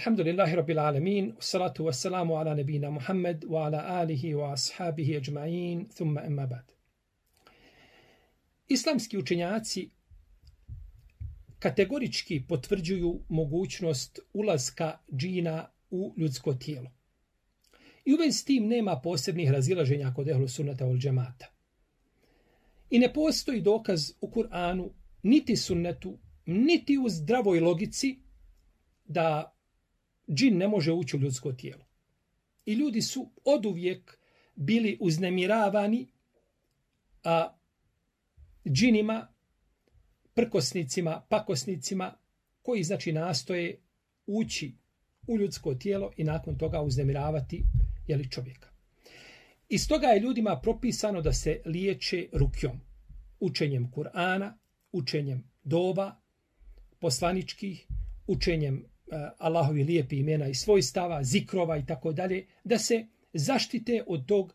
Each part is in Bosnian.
Alhamdulillahi Rabbil Alamin, salatu wassalamu ala nebina Muhammed, wa ala alihi wa ashabihi ajma'in, thumma emma ba'd. Islamski učenjaci kategorički potvrđuju mogućnost ulaska džina u ljudsko tijelo. I u vezi s tim nema posebnih razilaženja kod ehlu sunnata wal džemata. I ne postoji dokaz u Kur'anu, niti sunnetu, niti u zdravoj logici da džin ne može ući u ljudsko tijelo. I ljudi su oduvijek bili uznemiravani džinima, prkosnicima, pakosnicima, koji znači nastoje ući u ljudsko tijelo i nakon toga uznemiravati čovjeka. I stoga je ljudima propisano da se liječe rukjom, učenjem Kur'ana, učenjem dova, poslaničkih, učenjem Allahovi lijepi imena i svojstava, zikrova i tako dalje, da se zaštite od tog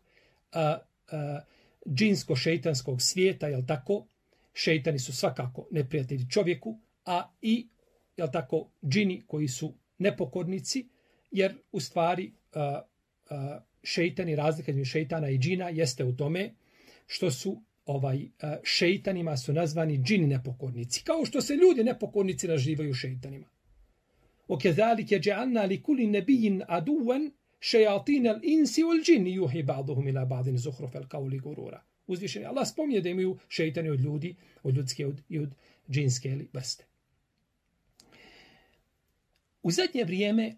džinsko-šeitanskog svijeta, jel tako? Šeitani su svakako neprijatelji čovjeku, a i, jel tako, džini koji su nepokornici, jer u stvari šeitani, razlika između šeitana i džina jeste u tome što su šeitanima su nazvani džini nepokornici, kao što se ljudi nepokornici nazivaju šeitanima. وَكَذَلِكَ جَعَلْنَا لِكُلِّ نَبِيٍّ عَدُوًّا شَيَاطِينَ الْإِنْسِ وَالْجِنِّ يُوحِي بَعْضُهُمْ إِلَى بَعْضٍ زُخْرُفَ الْقَوْلِ غُرُورًا. Uzvišeni Allah spominje da imaju šeitani od ljudi, od ljudske i od džinske vrste. U zadnje vrijeme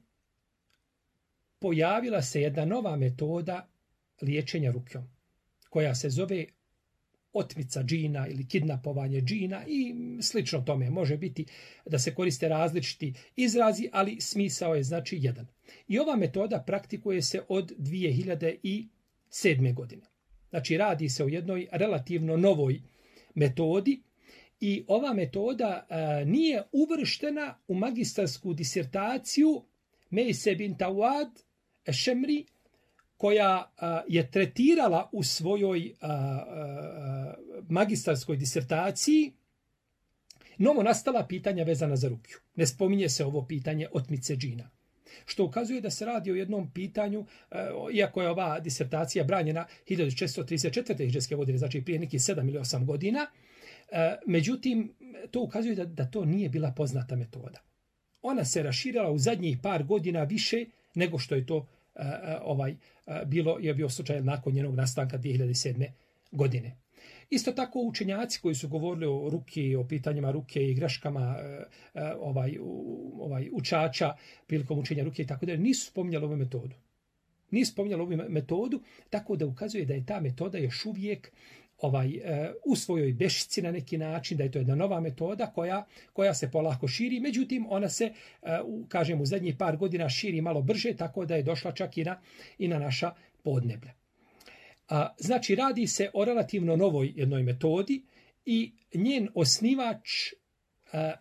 pojavila se jedna nova metoda liječenja rukjom, koja se zove otmica džina ili kidnapovanje džina i slično tome. Može biti da se koriste različiti izrazi, ali smisao je znači jedan. I ova metoda praktikuje se od 2007. godine. Znači radi se o jednoj relativno novoj metodi i ova metoda nije uvrštena u magistarsku disertaciju Mejse bint Awad Ešemri, koja je tretirala u svojoj magistarskoj disertaciji novo nastala pitanja vezana za rukju. Ne spominje se ovo pitanje otmice džina. Što ukazuje da se radi o jednom pitanju, iako je ova disertacija branjena 1434. hidžretske godine, znači prije nekih 7 ili 8 godina, međutim, to ukazuje da to nije bila poznata metoda. Ona se raširila u zadnjih par godina više nego što je to bio slučaj nakon njenog nastanka 2007. godine. Isto tako učenjaci koji su govorili o ruki, o pitanjima ruke i greškama učača prilikom učenja ruke i tako dalje, nisu spominjali ovu metodu. Nisu spominjali ovu metodu, tako da ukazuje da je ta metoda još uvijek u svojoj bešici na neki način, da je to jedna nova metoda koja se polako širi, međutim ona se, kažem, u zadnjih par godina širi malo brže, tako da je došla čak i na naša podneblja. Znači radi se o relativno novoj jednoj metodi i njen osnivač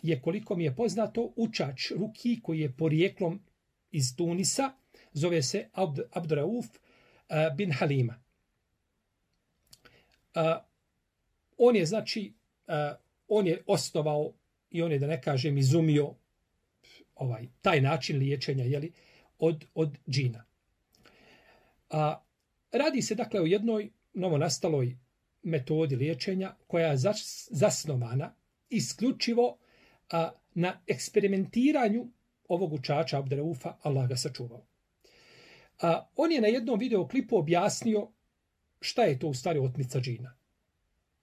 je, koliko mi je poznato, učač ruki koji je porijeklom iz Tunisa, zove se Abdurauf bin Halima. On je, znači, on je osnovao i on je, da ne kažem, izumio taj način liječenja od džina. Radi se, dakle, o jednoj novonastaloj metodi liječenja koja je zasnovana isključivo na eksperimentiranju ovog učača Abduraufa, Allah ga sačuvao. On je na jednom videoklipu objasnio šta je to u stvari otmica džina.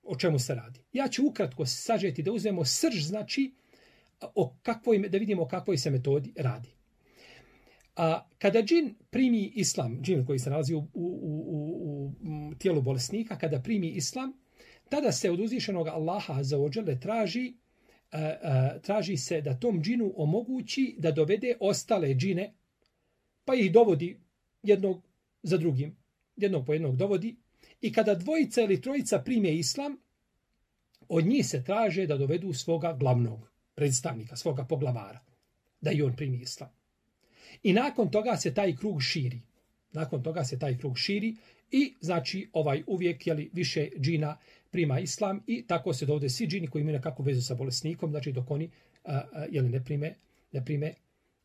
O čemu se radi. Ja ću ukratko sažeti da uzmemo srž, znači, da vidimo o kakvoj se metodi radi. Kada džin primi islam, džin koji se nalazi u tijelu bolesnika, kada primi islam, tada se od uzvišenog Allaha azza wa dželle traži se da tom džinu omogući da dovede ostale džine, pa ih dovodi jednog za drugim. Jednog po jednog dovodi. I kada dvojica ili trojica prime islam, od njih se traže da dovedu svoga glavnog predstavnika, svoga poglavara, da i on primi islam. I nakon toga se taj krug širi. I znači uvijek više džina prima islam i tako se dovode svi džini koji imaju nekakvu vezu sa bolesnikom, znači dok oni ne prime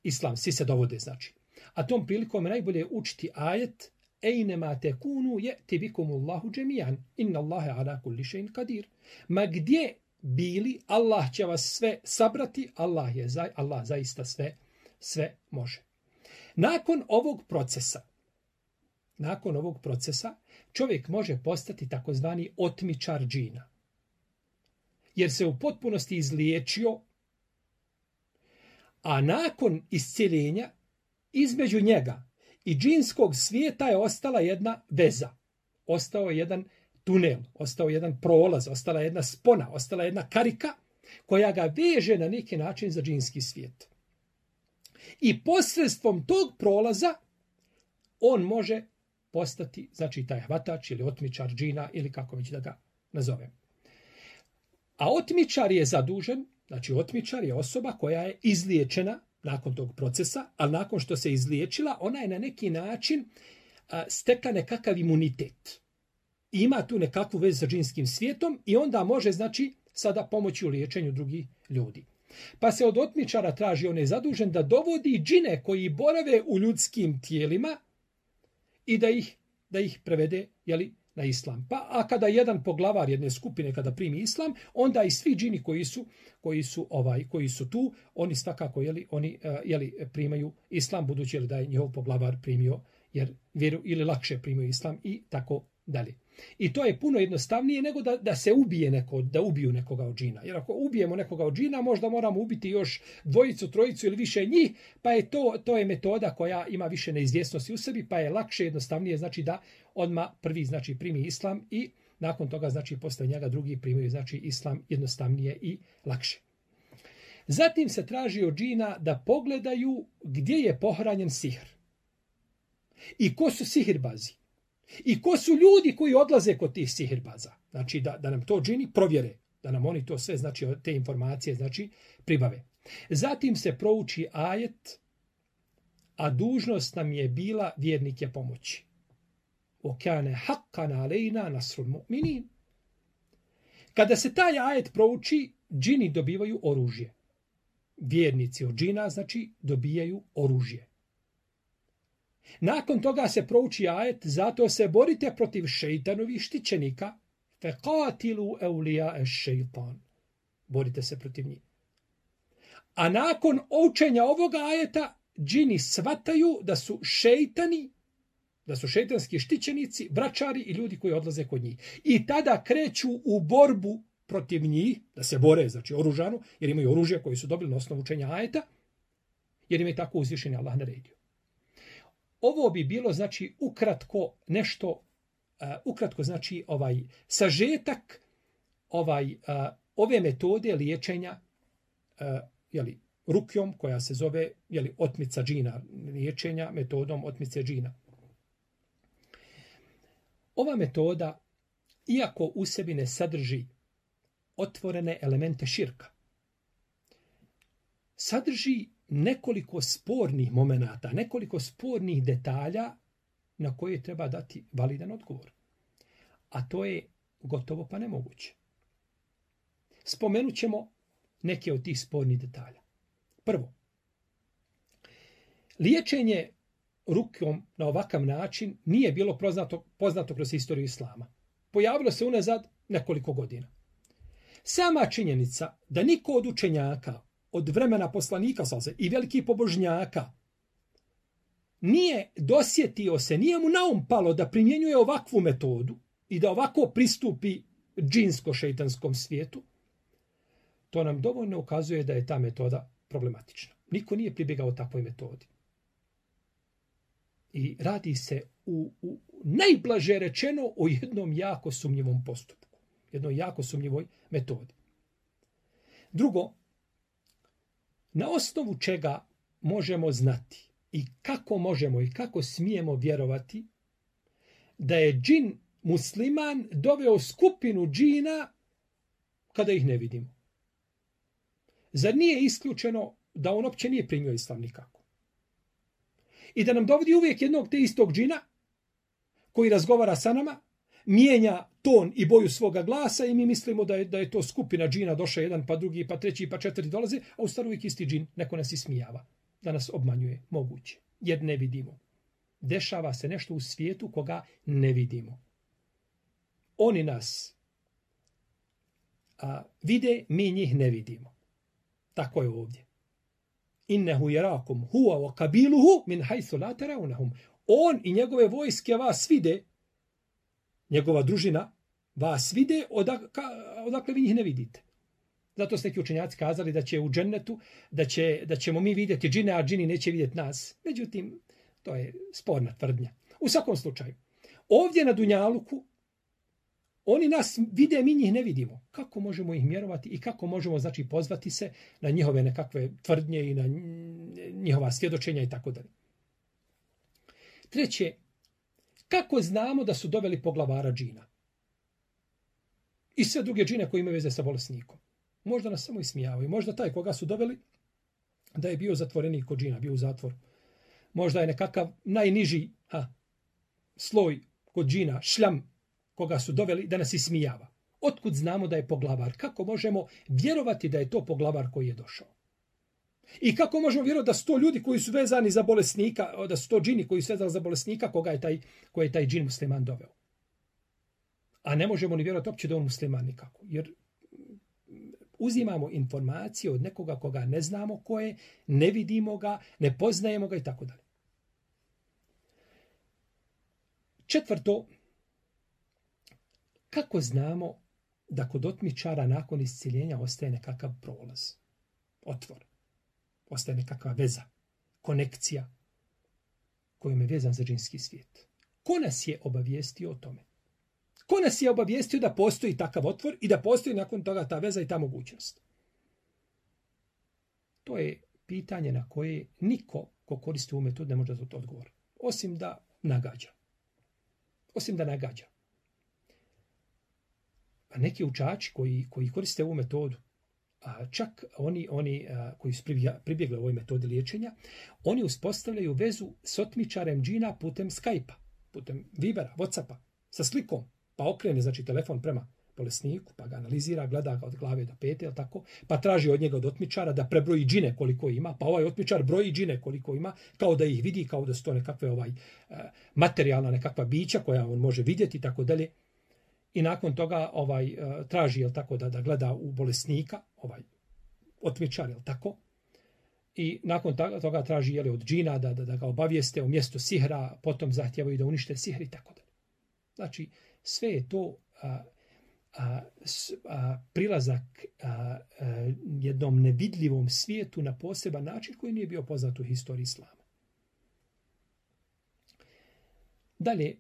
islam, svi se dovode, znači. A tom prilikom najbolje učiti ajet Ejnema tekunu je'ti bikumullahu džemijan, inna Allahe ala kulli še'in kadir. Ma gdje bili, Allah će vas sve sabrati, Allah zaista sve može. Nakon ovog procesa, čovjek može postati takozvani otmičar džina. Jer se u potpunosti izliječio, a nakon iscjeljenja između njega i džinskog svijeta je ostala jedna veza. Ostao je jedan tunel, ostao jedan prolaz, ostala jedna spona, ostala jedna karika koja ga veže na neki način za džinski svijet. I posredstvom tog prolaza on može postati, znači taj hvatač ili otmičar džina ili kako već da ga nazovem. A otmičar je zadužen, znači otmičar je osoba koja je izliječena nakon tog procesa, ali nakon što se izliječila, ona je na neki način stekla nekakav imunitet. Ima tu nekakvu vezu sa džinskim svijetom i onda može, znači, sada pomoći u liječenju drugih ljudi. Pa se od otmičara traži, on je zadužen da dovodi džine koji borave u ljudskim tijelima i da ih prevede, na islam. A kada jedan poglavar jedne skupine kada primi islam, onda i svi džini koji su tu, oni svakako primaju islam, budući da je njihov poglavar primio jer vjeru ili lakše primio islam i tako dalje. I to je puno jednostavnije nego da se ubije da ubiju nekoga od džina. Jer ako ubijemo nekoga od džina, možda moramo ubiti još dvojicu, trojicu ili više njih, pa je to je metoda koja ima više neizvjesnosti u sebi, pa je lakše, jednostavnije, znači da odmah prvi znači primi islam i nakon toga znači posle njega drugi primaju znači islam jednostavnije i lakše. Zatim se traži od džina da pogledaju gdje je pohranjen sihr. I ko su sihirbazi. I ko su ljudi koji odlaze kod tih sihirbaza. Znači da nam to džini provjere. Da nam oni to sve, znači te informacije, znači pribave. Zatim se prouči ajet, a dužnost nam je bila vjernike pomoći. Okane haqqan alejna nasrul mu'minin. Kada se taj ajet prouči, džini dobivaju oružje. Vjernici od džina, znači, dobijaju oružje. Nakon toga se prouči ajet, zato se borite protiv šejtanovih štićenika, faqatilu awliya ash-shaytan. Borite se protiv njih. A nakon učenja ovoga ajeta, džini svataju da su šejtani, da su šejtanski štićenici, vračari i ljudi koji odlaze kod njih. I tada kreću u borbu protiv njih, da se bore, znači oružano, jer imaju oružje koji su dobili na osnovu učenja ajeta, jer im je tako uzvišeni Allah naredio. Ovo bi bilo, znači, ukratko nešto, znači, sažetak ove metode liječenja, rukjom, koja se zove, otmica džina, liječenja metodom otmice džina. Ova metoda, iako u sebi ne sadrži otvorene elemente širka, sadrži nekoliko spornih momenata, nekoliko spornih detalja na koje treba dati validan odgovor. A to je gotovo pa nemoguće. Spomenut ćemo neke od tih spornih detalja. Prvo, liječenje rukom na ovakav način nije bilo poznato kroz istoriju islama. Pojavilo se unazad nekoliko godina. Sama činjenica da niko od učenjaka od vremena poslanika i velikih pobožnjaka nije dosjetio se, nije mu na um palo da primjenjuje ovakvu metodu i da ovako pristupi džinsko-šejtanskom svijetu, to nam dovoljno ukazuje da je ta metoda problematična. Niko nije pribjegao takvoj metodi. I radi se u najblaže rečeno o jednom jako sumnjivom postupku. Jednoj jako sumnjivoj metodi. Drugo, na osnovu čega možemo znati i kako možemo i kako smijemo vjerovati da je džin musliman doveo skupinu džina kada ih ne vidimo? Zar nije isključeno da on uopće nije primio islam nikako? I da nam dovodi uvijek jednog te istog džina koji razgovara sa nama, mijenja ton i boju svoga glasa i mi mislimo da je to skupina džina, došao jedan, pa drugi, pa treći, pa četiri dolaze, a u stvari uvijek isti džin, neko nas ismijava. da nas obmanjuje, moguće, jer ne vidimo. Dešava se nešto u svijetu koga ne vidimo. Oni nas vide, mi njih ne vidimo. Tako je ovdje. Innehu jarakum huwa wa kabiluhu min haythu la tarawnahum. On i njegove vojske vas vide, njegova družina vas vide, odakle vi njih ne vidite. Zato su neki učenjaci kazali da će u džennetu, da ćemo mi vidjeti džine, a džini neće vidjeti nas. Međutim, to je sporna tvrdnja. U svakom slučaju, ovdje na Dunjaluku, oni nas vide, mi njih ne vidimo. Kako možemo ih mjerovati i kako možemo, znači, pozvati se na njihove nekakve tvrdnje i na njihova svjedočenja i tako dalje. Treće, kako znamo da su doveli poglavara džina? I sve druge džine koji imaju veze sa bolesnikom. Možda nas samo ismijavaju. Možda taj koga su doveli da je bio zatvorenik kod džina, bio u zatvoru. Možda je nekakav najniži sloj kod džina, šljam, koga su doveli da nas ismijava. Otkud znamo da je poglavar? Kako možemo vjerovati da je to poglavar koji je došao? I kako možemo vjerovati da su to ljudi koji su vezani za bolesnika, da su to džini koji su vezani za bolesnika koji je taj džin musliman doveo? A ne možemo ni vjerovati uopće da on musliman nikako. Jer uzimamo informacije od nekoga koga ne znamo ko je, ne vidimo ga, ne poznajemo ga i tako dalje. Četvrto, kako znamo da kod otmičara nakon isciljenja ostaje nekakav prolaz, otvor, ostaje nekakva veza, konekcija kojom je vezan za džinski svijet? Ko nas je obavijestio o tome? Ko nas je obavijestio da postoji takav otvor i da postoji nakon toga ta veza i ta mogućnost? To je pitanje na koje niko ko koristi ovu metodu ne može da odgovori. Osim da nagađa. A neki učači koji koriste ovu metodu, čak oni koji su pribjegli ovoj metodi liječenja, oni uspostavljaju vezu s otmičarem džina putem Skype-a, putem Vibera, Whatsappa, sa slikom. Pa okrene, znači, telefon prema bolesniku, pa ga analizira, gleda ga od glave do pete, jel tako? Pa traži od njega od otmičara da prebroji džine koliko ima, pa ovaj otmičar broji džine koliko ima, kao da ih vidi, kao da su to nekakve materijalna nekakva bića koja on može vidjeti i tako dalje. I nakon toga traži, jel tako, da gleda u bolesnika, otmičar, jel tako? I nakon toga traži, jel, od džina da ga obavijeste o mjestu sihra, potom zahtijevaju da unište sihr i tako dalje. Znači, sve je to prilazak jednom nevidljivom svijetu na poseban način koji nije bio poznat u historiji islama. Dalje,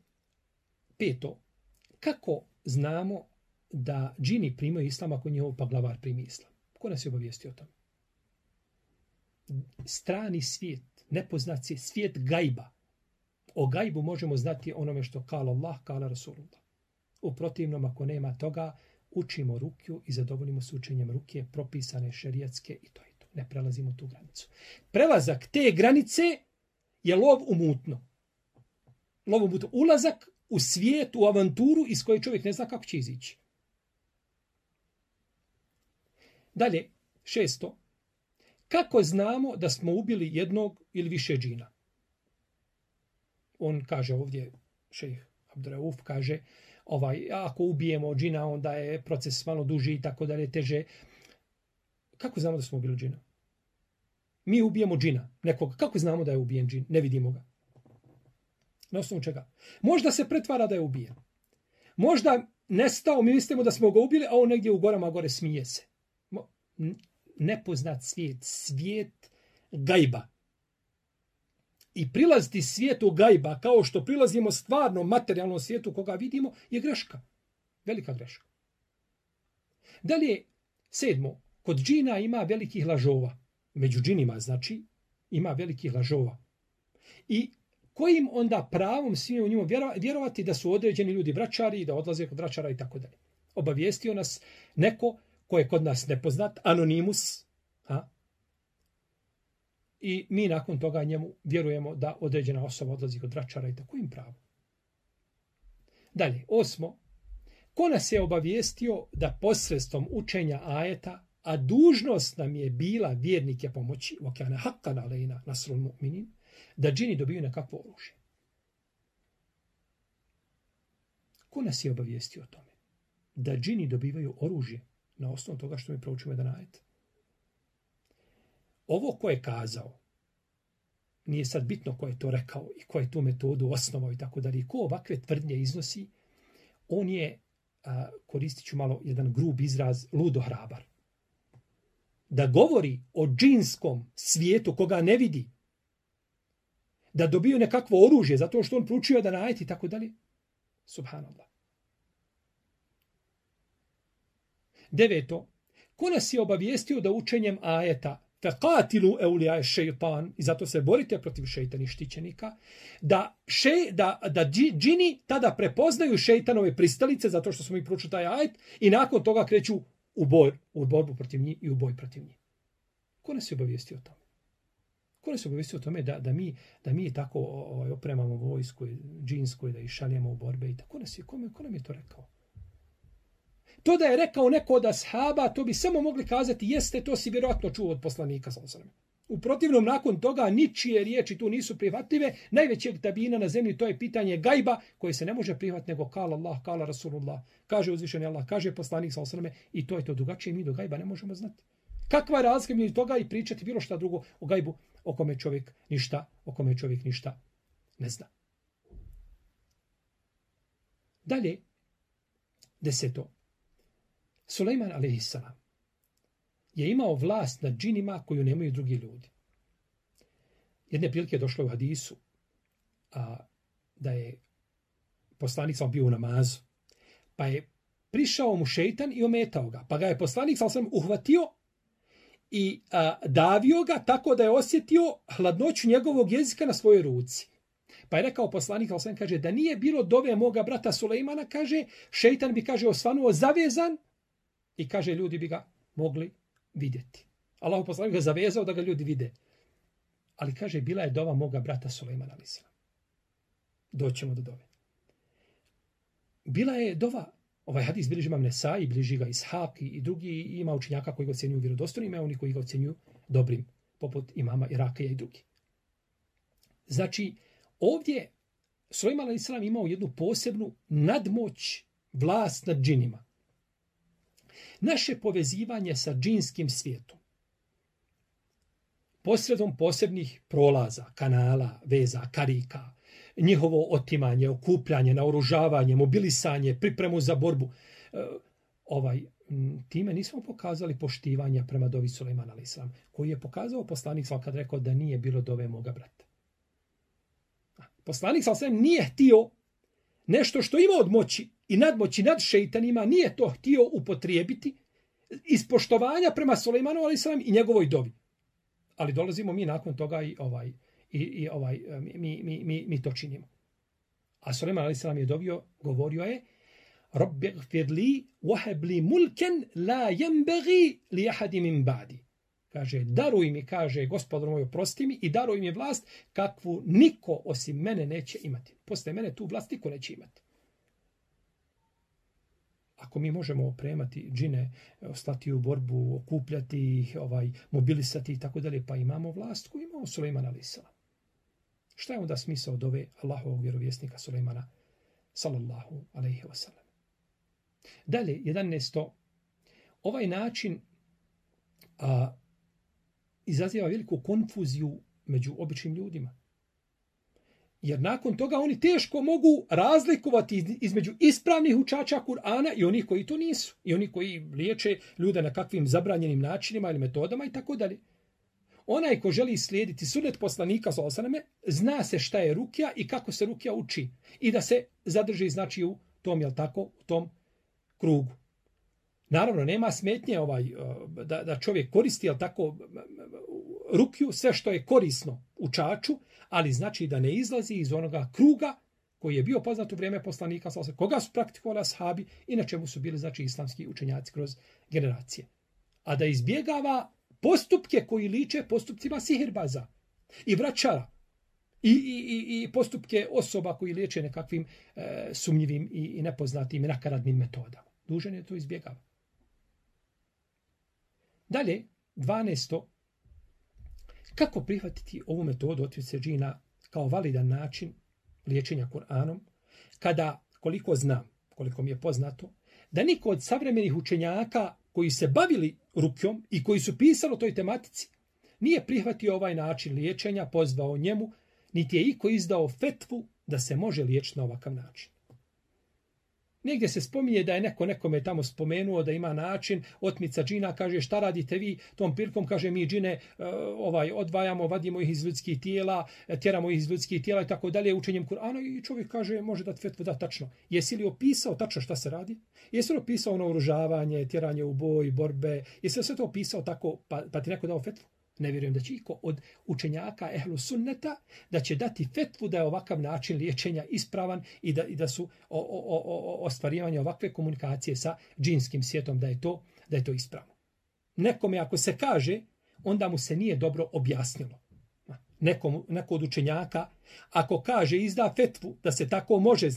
peto, kako znamo da džini primaju islam ako njihov poglavar primi islam? Ko nas je obavijestio o tome? Strani svijet, nepoznat svijet gajba. O gajbu možemo znati onome što kala Allah, kala Rasulullah. U protivnom, ako nema toga, učimo rukju i zadovoljimo se učenjem ruke propisane šerijatske i to je to. Ne prelazimo tu granicu. Prelazak te granice je lov u mutno. Lov u mutno. Ulazak u svijet, u avanturu iz koje čovjek ne zna kako će izići. Dalje, šesto. Kako znamo da smo ubili jednog ili više džina? On kaže ovdje, šejh Abdurauf kaže, ako ubijemo džina, onda je proces malo duži i tako dalje, teže. Kako znamo da smo ubili džina? Mi ubijemo džina, nekoga. Kako znamo da je ubijen džin? Ne vidimo ga. Na osnovu čega? Možda se pretvara da je ubijen. Možda nestao, mi mislimo da smo ga ubili, a on negdje u gorama gore smije se. Nepoznat svijet gajba. I prilaziti svijetu gajba kao što prilazimo stvarno materijalnom svijetu koga vidimo je greška. Velika greška. Dalje, sedmo, kod džina ima velikih lažova. Među džinima, znači, ima velikih lažova. I kojim onda pravom smijemo u njima vjerovati da su određeni ljudi vračari i da odlaze kod vračara i tako dalje. Obavijestio nas neko ko je kod nas nepoznat, anonimus, i mi nakon toga njemu vjerujemo da određena osoba odlazi kod vračara i tako im pravo. Dalje, osmo, ko nas je obavijestio da posredstvom učenja ajeta a dužnost nam je bila vjernike pomoći, وَكَانَ حَقًّا عَلَيْنَا نَصْرُ الْمُؤْمِنِينَ, da džini dobiju nekakvo oružje. Ko nas je obavijestio o tome? Da džini dobivaju oružje na osnovu toga što mi proučimo jedan ajet. Ovo ko je kazao, nije sad bitno ko je to rekao i ko je tu metodu osnovao i tako dalje. Ko ovakve tvrdnje iznosi, on je, koristit ću malo jedan grub izraz, ludo hrabar. Da govori o džinskom svijetu koga ne vidi, da dobiju nekakvo oružje zato što on proučio jedan ajet i tako dalje. Subhanallah. 9. Ko nas je obavijestio da učenjem ajeta فَقَاتِلُوا أَوْلِيَاءَ الشَّيْطَانِ, i zato se borite protiv šejtanih štićenika, da džini tada prepoznaju šejtanove pristalice zato što smo mi proučili taj ajet i nakon toga kreću u borbu protiv njih i u boj protiv njih. Ko nas je obavijestio o tome? Ko nas je obavijestio o tome da mi tako opremamo vojsku džinsku i da ih šaljemo u borbe i tako? Ko nam je to rekao? To da je rekao neko od ashaba, to bi samo mogli kazati, jeste, to si vjerojatno čuo od poslanika. U protivnom, nakon toga, ničije riječi tu nisu prihvatljive. Najvećeg tabina na zemlji, to je pitanje gajba, koje se ne može prihvatiti nego kala Allah, kala Rasulullah, kaže uzvišeni Allah, kaže poslanik i to je to. Drugačije mi do gajba ne možemo znati. Kakva je razlika među toga i pričati bilo šta drugo o gajbu o kome čovjek ništa ne zna. Dalje, 10. Sulejman a.s. je imao vlast nad džinima koju nemaju drugi ljudi. Jedne prilike je došlo u hadisu da je poslanik bio u namazu, pa je prišao mu šejtan i ometao ga, pa ga je poslanik uhvatio i davio ga tako da je osjetio hladnoću njegovog jezika na svojoj ruci. Pa je rekao poslanik, kaže, da nije bilo dove moga brata Sulejmana, kaže, šejtan bi, kaže, osvanuo zavezan i, kaže, ljudi bi ga mogli vidjeti. Allah poslanik ga zavezao da ga ljudi vide. Ali, kaže, bila je dova moga brata Sulejmana a.s. Doćemo do dove. Bila je dova, ovaj hadis bilježi imam Nesai, bilježi ga Ishaq i drugi, ima učenjaka koji ga ocjenjuju vjerodostojnim, ima oni koji ga ocjenjuju dobrim, poput imama Irakija i drugi. Znači, ovdje Sulejman a.s. imao jednu posebnu nadmoć, vlast nad džinima. Naše povezivanje sa džinskim svijetom, posredom posebnih prolaza, kanala, veza, karika, njihovo otimanje, okupljanje, naoružavanje, mobilisanje, pripremu za borbu, time nismo pokazali poštivanja prema dovi Sulejmana a.s. koji je pokazao poslanik kad rekao da nije bilo dove moga brata. Poslanik nije htio nešto što ima od moći i nadmoći nad šejtanima, nije to htio upotrijebiti iz poštovanja prema Sulejmanu a.s. i njegovoj dovi. Ali dolazimo mi nakon toga mi to činimo. A Sulejman a.s. je dovio, govorio je: Rabbi gfir li wahab li mulken la yanbaghi li ahadin min ba'di. Kaže, daruj mi, kaže, Gospodar moj, oprosti mi i daruj mi vlast kakvu niko osim mene neće imati. Posle mene tu vlast niko neće imati. Ako mi možemo opremati džine, slati u borbu, okupljati ih, mobilisati i tako dalje, pa imamo vlast koju imao Sulejman a.s. Šta je onda smisao dove Allahovog vjerovjesnika Sulejmana sallallahu alejhi ve sellem? Dalje, 11. Ovaj način izaziva veliku konfuziju među običnim ljudima. Jer nakon toga oni teško mogu razlikovati između ispravnih učača Kur'ana i onih koji to nisu. I oni koji liječe ljude na kakvim zabranjenim načinima ili metodama i tako dalje. Onaj ko želi slijediti sunnet poslanika zna se šta je rukja i kako se rukja uči. I da se zadrži, znači, u tom, jel tako, u tom krugu. Naravno, nema smetnje da čovjek koristi, jel tako, rukju, sve što je korisno učaču, ali znači da ne izlazi iz onoga kruga koji je bio poznat u vrijeme poslanika, koga su praktikovali ashabi i na čemu su bili, znači, islamski učenjaci kroz generacije. A da izbjegava postupke koji liče postupcima sihirbaza i vraćara i postupke osoba koji liječe nekakvim sumnjivim i nepoznatim i nakaradnim metodama. Dužan je to izbjegava. Dalje, 12. Kako prihvatiti ovu metodu otmice džina kao validan način liječenja Kur'anom, kada, koliko znam, koliko mi je poznato, da niko od savremenih učenjaka koji se bavili rukjom i koji su pisali o toj tematici, nije prihvatio ovaj način liječenja, pozvao njemu, niti je iko izdao fetvu da se može liječiti na ovakav način. Negdje se spominje da je nekome tamo spomenuo da ima način otmica džina, kaže šta radite vi tom prilikom, kaže mi džine odvajamo, vadimo ih iz ljudskih tijela, tjeramo ih iz ljudskih tijela i tako dalje učenjem Kur'ana i čovjek kaže može dati fetvu da tačno. Jesi li opisao tačno šta se radi? Jesi li opisao naoružavanje, tjeranje u boj, borbe? Jesi li sve to opisao tako pa ti neko dao fetvu? Ne vjerujem da će iko od učenjaka ehlu sunneta da će dati fetvu da je ovakav način liječenja ispravan i da su ostvarivanje ovakve komunikacije sa džinskim svijetom da je to ispravno. Nekome ako se kaže, onda mu se nije dobro objasnilo. Neko od učenjaka ako kaže izda fetvu da se tako može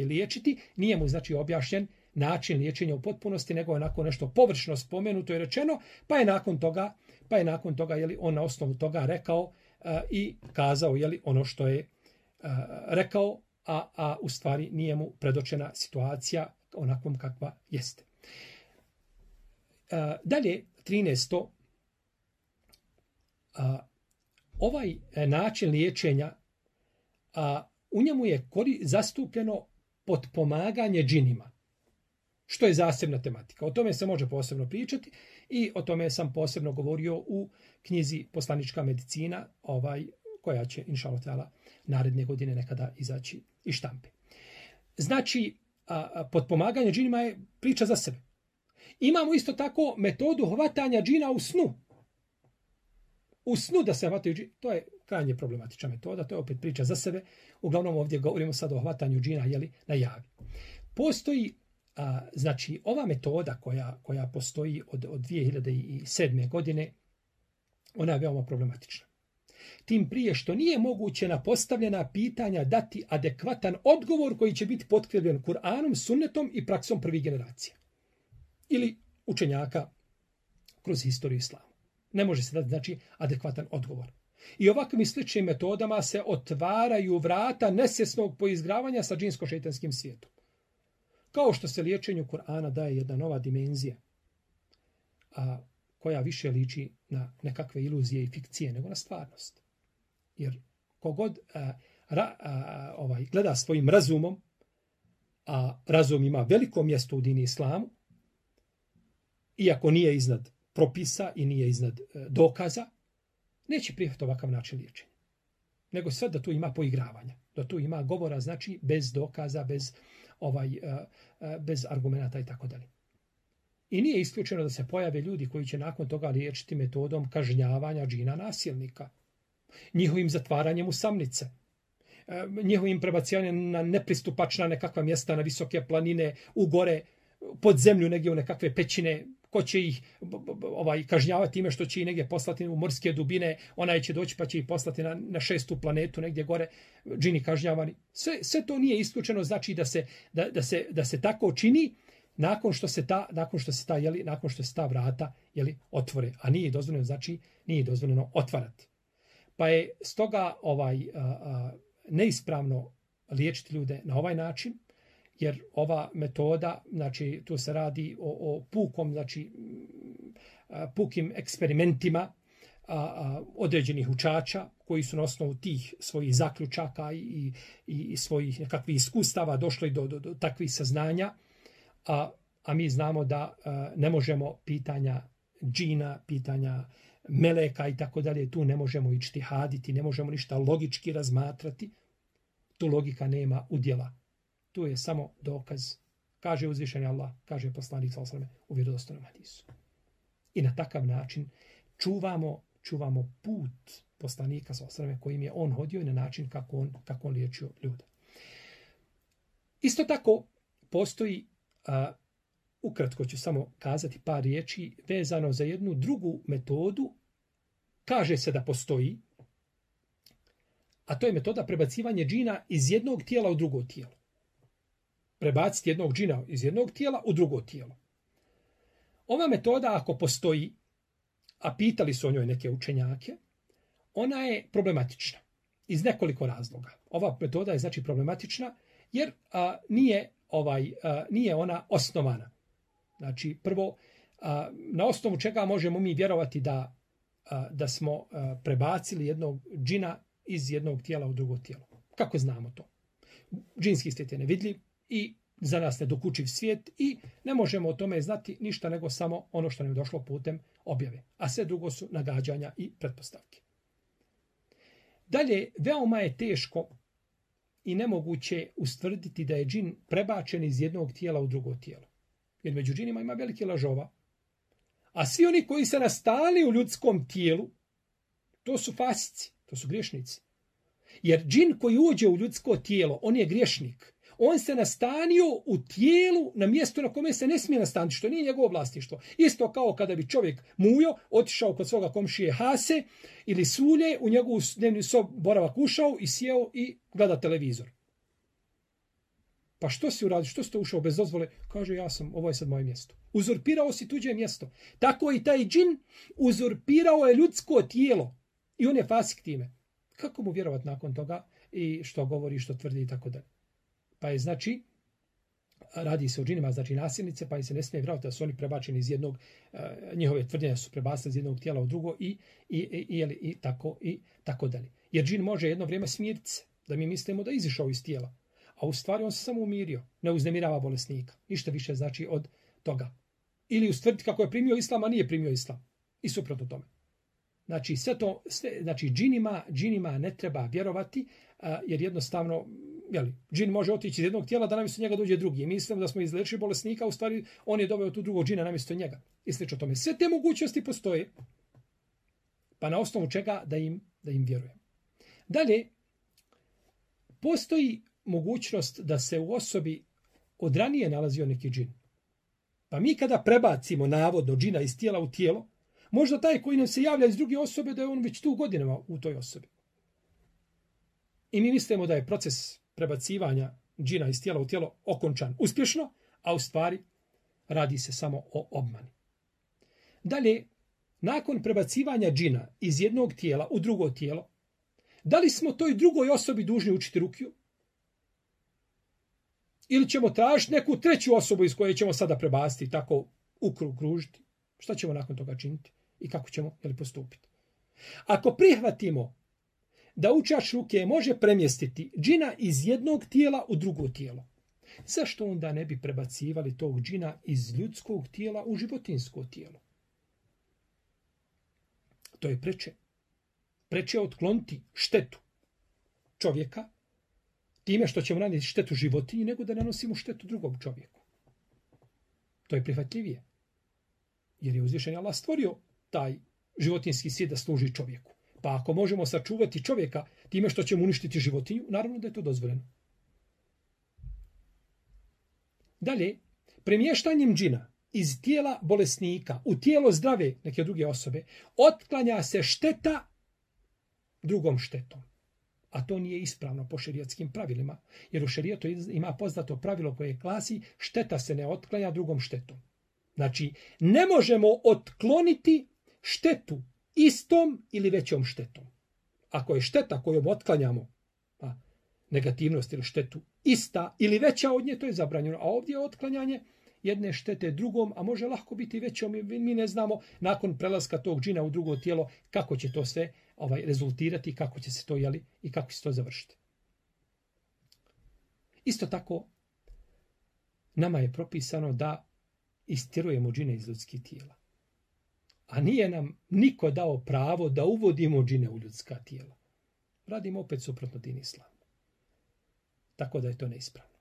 liječiti, nije mu objašnjen način liječenja u potpunosti, nego je onako nešto površno spomenuto i rečeno, pa je nakon toga on na osnovu toga rekao i kazao ono što je rekao, a u stvari nije mu predočena situacija onakvom kakva jeste. Dalje, 13. Ovaj način liječenja, u njemu je zastupljeno potpomaganje džinima, što je zasebna tematika. O tome se može posebno pričati i o tome sam posebno govorio u knjizi Poslanička medicina, koja će, inšallah ta'ala, naredne godine nekada izaći iz štampe. Znači, potpomaganje džinima je priča za sebe. Imamo isto tako metodu hvatanja džina u snu. U snu da se hvataju džina, to je krajnje problematična metoda, to je opet priča za sebe. Uglavnom ovdje govorimo sad o hvatanju džina na javi. Postoji znači, ova metoda koja postoji od 2007. godine, ona je veoma problematična. Tim prije što nije moguće na postavljena pitanja dati adekvatan odgovor koji će biti potkrijepljen Kur'anom, sunnetom i praksom prvih generacija. Ili učenjaka kroz historiju islama. Ne može se dati, adekvatan odgovor. I ovakvim i sličnim metodama se otvaraju vrata nesvjesnog poizgravanja sa džinsko-šejtanskim svijetom. Kao što se liječenju Kur'ana daje jedna nova dimenzija, koja više liči na nekakve iluzije i fikcije nego na stvarnost. Jer kogod gleda svojim razumom, a razum ima veliko mjesto u dini islamu, iako nije iznad propisa i nije iznad dokaza, neće prihvatiti ovakav način liječenja. Nego sve da tu ima poigravanja, da tu ima govora, znači bez dokaza, bez argumenata i tako dalje. I nije isključeno da se pojave ljudi koji će nakon toga liječiti metodom kažnjavanja džina nasilnika, njihovim zatvaranjem u samnice, njihovim prebacivanjem na nepristupačna nekakva mjesta, na visoke planine, u gore, pod zemlju, negdje u nekakve pećine, ko će ih kažnjavati time što će ih negdje poslati u morske dubine, onaj će doći pa će ih poslati na 6. planetu, negdje gore, džini kažnjavani. Sve to nije isključeno, znači da se tako čini nakon što se ta vrata otvore, a nije dozvoljeno otvarati. Pa je stoga neispravno liječiti ljude na ovaj način, jer ova metoda, znači tu se radi o pukim eksperimentima određenih učača koji su na osnovu tih svojih zaključaka i svojih nekakvih iskustava došli do takvih saznanja, a mi znamo da ne možemo pitanja džina, pitanja meleka i tako dalje, tu ne možemo ičtihaditi, ne možemo ništa logički razmatrati, tu logika nema udjela. Tu je samo dokaz. Kaže uzvišeni Allah, kaže poslanik sallallahu alejhi ve sellem u vjerodostojnom hadisu. I na takav način čuvamo put poslanika sallallahu alejhi ve sellem kojim je on hodio i na način kako on liječio ljude. Isto tako postoji, ukratko ću samo kazati par riječi vezano za jednu drugu metodu. Kaže se da postoji, a to je metoda prebacivanja džina iz jednog tijela u drugo tijelo. Prebaciti jednog džina iz jednog tijela u drugo tijelo. Ova metoda, ako postoji, a pitali su o njoj neke učenjake, ona je problematična iz nekoliko razloga. Ova metoda je znači problematična jer nije ona osnovana. Znači, prvo, na osnovu čega možemo mi vjerovati da smo prebacili jednog džina iz jednog tijela u drugo tijelo. Kako znamo to? Džinski svijet je nevidljiv i za nas nedokučiv svijet i ne možemo o tome znati ništa nego samo ono što nam je došlo putem objave. A sve drugo su nagađanja i pretpostavke. Dalje, veoma je teško i nemoguće ustvrditi da je džin prebačen iz jednog tijela u drugo tijelo. Jer među džinima ima veliki lažova. A svi oni koji se nastali u ljudskom tijelu, to su fasici, to su griješnici. Jer džin koji uđe u ljudsko tijelo, on je griješnik. On se nastanio u tijelu na mjestu na kome se ne smije nastaniti, što nije njegovo vlasništvo. Isto kao kada bi čovjek mujo otišao kod svoga komšije Hase ili Sulje, u njegovu dnevni sob boravak ušao i sjeo i gleda televizor. Pa što si uradio? Što si to ušao bez dozvole? Kaže, ovo je sad moje mjesto. Uzurpirao si tuđe mjesto. Tako i taj džin uzurpirao je ljudsko tijelo. I on je fasik time. Kako mu vjerovati nakon toga i što govori, što tvrdi i tako dalje. Pa je znači, radi se o džinima, znači nasilnice, pa im se ne smije vjerovati da su oni prebačeni iz jednog, njihove tvrđenja su prebacili iz jednog tijela u drugo i tako dalje. Jer džin može jedno vrijeme smiriti se, da mi mislimo da je izišao iz tijela. A u stvari on se samo umirio, ne uznemirava bolesnika. Ništa više znači od toga. Ili ustvrditi kako je primio islam, a nije primio islam. I suprotno tome. Znači, znači džinima ne treba vjerovati, jer jednostavno, džin može otići iz jednog tijela da namjesto njega dođe drugi. Mi mislimo da smo izlečili bolesnika, u stvari on je doveo tu drugog džina namjesto njega. I slično tome. Sve te mogućnosti postoje. Pa na osnovu čega da im vjerujem. Dalje, postoji mogućnost da se u osobi od ranije nalazio neki džin. Pa mi kada prebacimo navodno džina iz tijela u tijelo, možda taj koji nam se javlja iz druge osobe da je on već tu godinama u toj osobi. I mi mislimo da je proces prebacivanja džina iz tijela u tijelo okončan uspješno, a u stvari radi se samo o obmani. Dalje, nakon prebacivanja džina iz jednog tijela u drugo tijelo, da li smo toj drugoj osobi dužni učiti rukiju? Ili ćemo tražiti neku treću osobu iz koje ćemo sada prebaciti, tako ukružiti? Šta ćemo nakon toga činiti? I kako ćemo postupiti? Ako prihvatimo da učač ruke može premjestiti džina iz jednog tijela u drugo tijelo, zašto onda ne bi prebacivali tog džina iz ljudskog tijela u životinjsko tijelo? To je preče. Preče otkloniti štetu čovjeka time što ćemo nanijeti štetu životinji nego da nanosimo štetu drugom čovjeku. To je prihvatljivije. Jer je uzvišen Allah stvorio taj životinjski svijet da služi čovjeku. Pa ako možemo sačuvati čovjeka time što ćemo uništiti životinju, naravno da je to dozvoljeno. Dalje, premještanjem džina iz tijela bolesnika u tijelo zdrave neke druge osobe otklanja se šteta drugom štetom. A to nije ispravno po šerijatskim pravilima. Jer u šerijetu ima poznato pravilo koje glasi šteta se ne otklanja drugom štetom. Znači, ne možemo otkloniti štetu istom ili većom štetom. Ako je šteta kojom otklanjamo negativnost ili štetu ista ili veća od nje, to je zabranjeno. A ovdje je otklanjanje jedne štete drugom, a može lahko biti većom. Mi ne znamo nakon prelaska tog džina u drugo tijelo kako će to sve rezultirati, kako će se to i kako će se to završiti. Isto tako, nama je propisano da istirujemo džine iz ljudskih tijela. A nije nam niko dao pravo da uvodimo džine u ljudska tijela. Radimo opet suprotno din islamu. Tako da je to neispravno.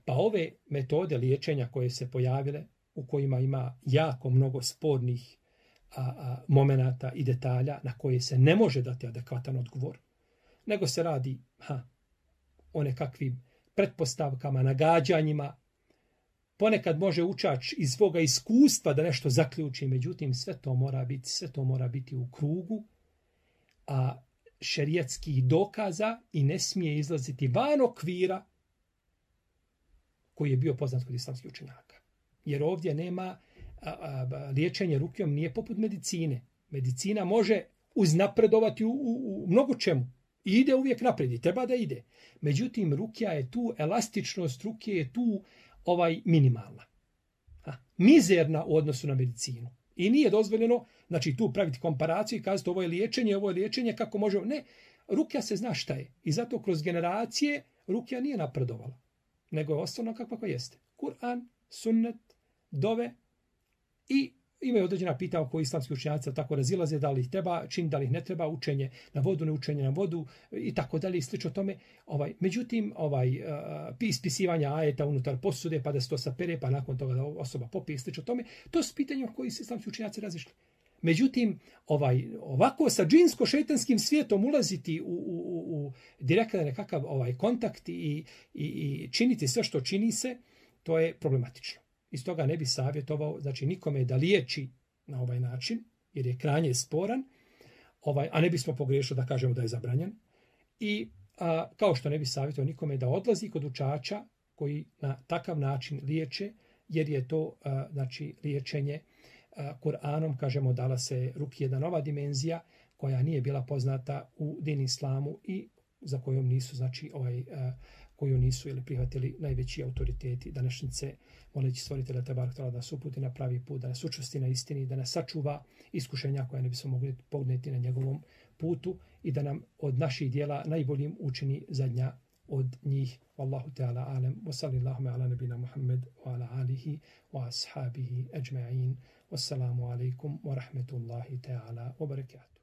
Pa ove metode liječenja koje se pojavile, u kojima ima jako mnogo spornih momenata i detalja na koje se ne može dati adekvatan odgovor, nego se radi o nekakvim pretpostavkama, nagađanjima. Ponekad može učač iz svoga iskustva da nešto zaključi, međutim sve to mora biti u krugu šerijatskih dokaza i ne smije izlaziti van okvira koji je bio poznat kod islamskih učenjaka. Jer ovdje nema liječenje rukijom nije poput medicine. Medicina može uznapredovati u mnogo čemu. I ide uvijek naprijed i treba da ide. Međutim, rukja je tu, elastičnost ruke je tu minimalna. Mizerna u odnosu na medicinu. I nije dozvoljeno, znači tu praviti komparaciju i kazati ovo je liječenje, kako možemo. Ne, rukja se zna šta je. I zato kroz generacije rukja nije napredovala. Nego je ostalo kakva jeste. Kur'an, sunnet, dove i imaju određena pitanja oko islamskih učenjaca, tako razilaze da li ih treba činiti, da li ih ne treba, učenje na vodu, ne učenje na vodu i tako dalje i slično tome. Međutim, ispisivanja ajeta unutar posude, pa da se to sapere, pa nakon toga da osoba popije i slično tome, to su pitanja o koji su islamski učenjaci razišli. Međutim, ovako sa džinsko-šejtanskim svijetom ulaziti u direktan nekakav kontakt i činiti sve što čini se, to je problematično. Iz toga ne bi savjetovao, znači nikome da liječi na ovaj način, jer je krajnje sporan, a ne bismo pogriješili da kažemo da je zabranjen. I kao što ne bi savjetovao nikome da odlazi kod učača koji na takav način liječe, jer je to znači liječenje Kur'anom, kažemo, dala se ruki jedna nova dimenzija koja nije bila poznata u din islamu i za kojom nisu, znači, koju nisu ili prihvatili najveći autoriteti današnjice, moleći stvoritelja Tebarek da nas uputi na pravi put, da nas učvrsti na istini, da nas sačuva iskušenja koja ne bismo mogli podnijeti na njegovom putu i da nam od naših dijela najboljim učini zadnja od njih. Wallahu ta'ala alem, wa sallallahu ala nabina Muhammed wa ala alihi wa ashabihi ajma'in. Wassalamu alaikum wa rahmetullahi ta'ala wa barakatuh.